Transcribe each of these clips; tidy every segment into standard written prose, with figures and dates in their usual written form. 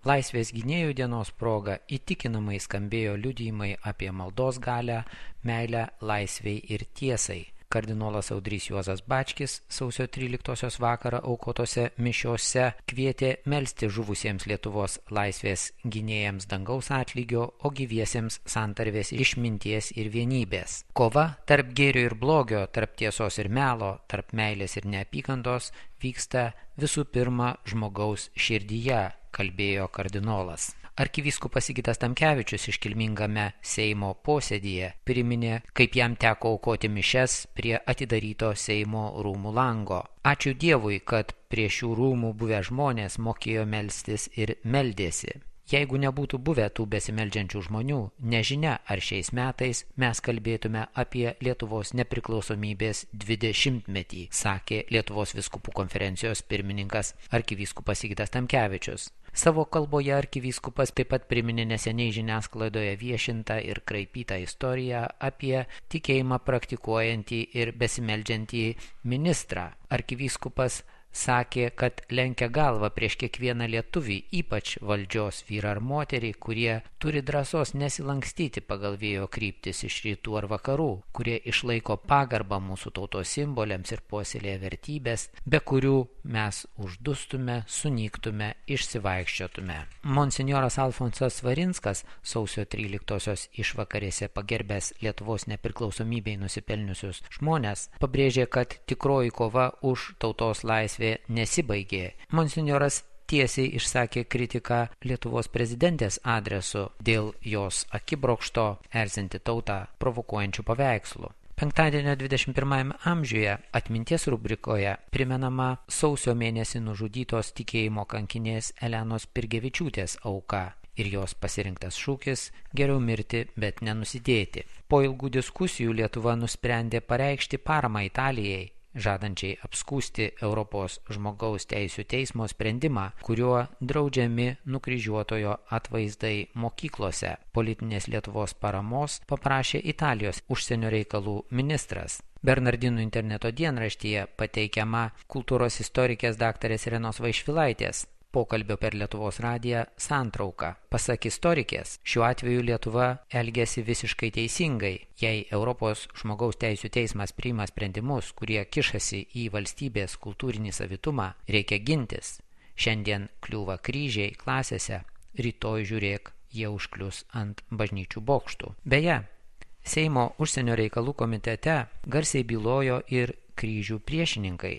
Laisvės gynėjų dienos proga įtikinamai skambėjo liudijimai apie maldos galią, meilę laisvei ir tiesai. Kardinolas Audrys Juozas Bačkis sausio 13 vakarą aukotose mišiose kvietė melsti žuvusiems Lietuvos laisvės gynėjams dangaus atlygio, o gyviesiems santarvės išminties ir vienybės. Kova tarp gėrio ir blogio, tarp tiesos ir melo, tarp meilės ir neapykantos vyksta visų pirma žmogaus širdyje, kalbėjo kardinolas. Arkivyskupas Sigitas Tamkevičius iškilmingame Seimo posėdyje priminė, kaip jam teko aukoti mišias prie atidaryto Seimo rūmų lango. Ačiū Dievui, kad prie šių rūmų buvę žmonės mokėjo melstis ir meldėsi. Jeigu nebūtų buvę tų besimeldžiančių žmonių, nežinia, ar šiais metais mes kalbėtume apie Lietuvos nepriklausomybės 20-metį, sakė Lietuvos vyskupų konferencijos pirmininkas arkivyskupas Sigitas Tamkevičius. Savo kalboje arkivyskupas taip pat priminė neseniai žiniasklaidoje viešintą ir kraipytą istoriją apie tikėjimą praktikuojantį ir besimeldžiantį ministrą. Arkivyskupas sakė, kad lenkia galvą prieš kiekvieną lietuvį, ypač valdžios vyrą ar moterį, kurie turi drąsos nesilankstyti pagal vėjo kryptis iš rytų ar vakarų, kurie išlaiko pagarbą mūsų tautos simboliams ir puoselėja vertybės, be kurių mes uždustume, sunyktume, išsivaikščiotume. Monsinjoras Alfonsas Svarinskas sausio 13-osios išvakarėse pagerbęs Lietuvos nepriklausomybei nusipelniusius žmonės pabrėžė, kad tikroji kova už tautos laisvę nesibaigė. Monsinjoras tiesiai išsakė kritiką Lietuvos prezidentės adresu dėl jos akibrokšto erzinti tautą provokuojančių paveikslų. Penktadienio 21 amžiuje atminties rubrikoje primenama sausio mėnesį nužudytos tikėjimo kankinės Elenos Pirgevičiūtės auka ir jos pasirinktas šūkis geriau mirti, bet nenusidėti. Po ilgų diskusijų Lietuva nusprendė pareikšti paramą Italijai, žadančiai apskųsti Europos žmogaus teisių teismo sprendimą, kuriuo draudžiami nukryžiuotojo atvaizdai mokyklose. Politinės Lietuvos paramos paprašė Italijos užsienio reikalų ministras. Bernardinų interneto dienraštyje pateikiama kultūros istorikės daktarės Irenos Vaišvilaitės pokalbio per Lietuvos radiją santrauka. Pasak istorikės, šiuo atveju Lietuva elgiasi visiškai teisingai. Jei Europos žmogaus teisių teismas priima sprendimus, kurie kišasi į valstybės kultūrinį savitumą, reikia gintis. Šiandien kliūva kryžiai klasėse, rytoj žiūrėk, jie užklius ant bažnyčių bokštų. Beje, Seimo užsienio reikalų komitete garsiai bylojo ir kryžių priešininkai.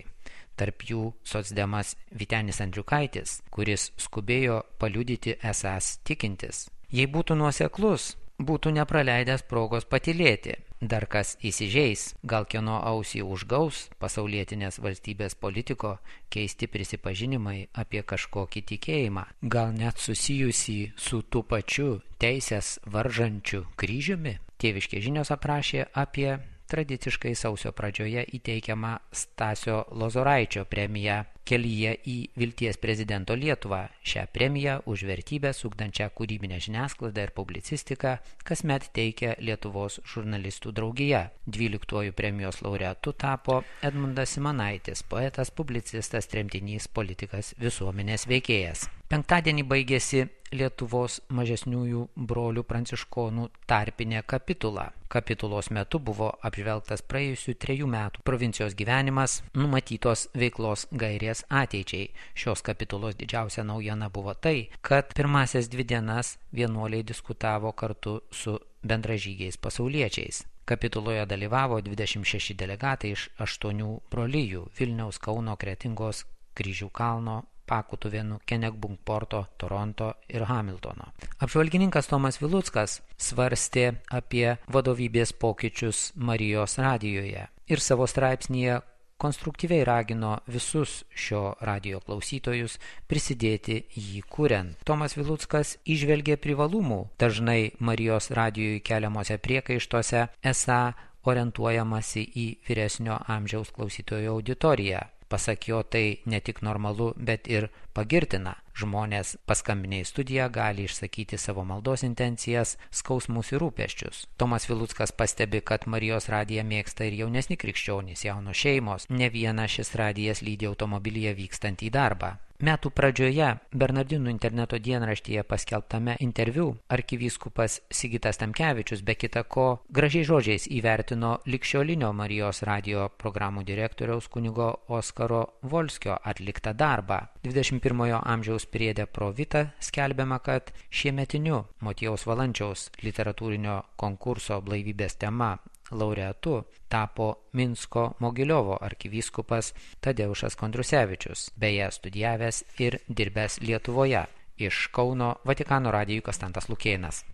Tarp jų socdemas Vytenis Andriukaitis, kuris skubėjo paliudyti esąs tikintis. Jei būtų nuoseklus, būtų nepraleidęs progos patylėti. Dar kas įsižeis, gal kieno ausį užgaus pasaulietinės valstybės politiko keisti prisipažinimai apie kažkokį tikėjimą, gal net susijusį su tų pačiu teisės varžančiu kryžiumi. Tėviškės žinios aprašė apie tradiciškai sausio pradžioje įteikiamą Stasio Lozoraičio premiją Kelyje į vilties prezidento Lietuvą. Šią premiją už vertybės ugdančią kūrybinę žiniasklaidą ir publicistiką kasmet teikia Lietuvos žurnalistų draugija. 12 premijos laureatu tapo Edmundas Simanaitis, poetas, publicistas, tremtinys, politikas, visuomenės veikėjas. Penktadienį baigėsi Lietuvos mažesniųjų brolių pranciškonų tarpinė kapitula. Kapitulos metu buvo apžvelgtas praėjusių 3 metų provincijos gyvenimas, numatytos veiklos gairės ateičiai. Šios kapitulos didžiausia naujiena buvo tai, kad pirmasias 2 dienas vienuoliai diskutavo kartu su bendražygiais pasauliečiais. Kapituloje dalyvavo 26 delegatai iš 8 brolijų – Vilniaus, Kauno, Kretingos, Kryžių kalno, Pakutuvėnų, Kenegbunkporto, Toronto ir Hamiltono. Apžvalgininkas Tomas Viluckas svarstė apie vadovybės pokyčius Marijos radijoje ir savo straipsnyje konstruktyviai ragino visus šio radijo klausytojus prisidėti jį kuriant. Tomas Viluckas įžvelgė privalumų dažnai Marijos radijui keliamuose priekaištuose, esą orientuojamasi į vyresnio amžiaus klausytojų auditoriją. Pasak jo, tai ne tik normalu, bet ir pagirtina. Žmonės paskambinę į studiją gali išsakyti savo maldos intencijas, skausmus ir rūpesčius. Tomas Viluckas pastebi, kad Marijos radiją mėgsta ir jaunesni krikščionys, jaunos šeimos. Ne viena šis radijas lydi automobilyje vykstant į darbą. Metų pradžioje Bernardinų interneto dienraštyje paskelbtame interviu arkivyskupas Sigitas Tamkevičius be kita ko gražiais žodžiais įvertino ligšiolinio Marijos radijo programų direktoriaus kunigo Oskaro Volskio atliktą darbą. 21 amžiaus priede Pro Vita skelbiama, kad šiemetiniu Motiejaus Valančiaus literatūrinio konkurso Blaivybės tema laureatu tapo Minsko Mogiliovo arkivyskupas Tadeušas Kondrusevičius, beje studijavęs ir dirbęs Lietuvoje. Iš Kauno Vatikano radijui Konstantas Lukėnas.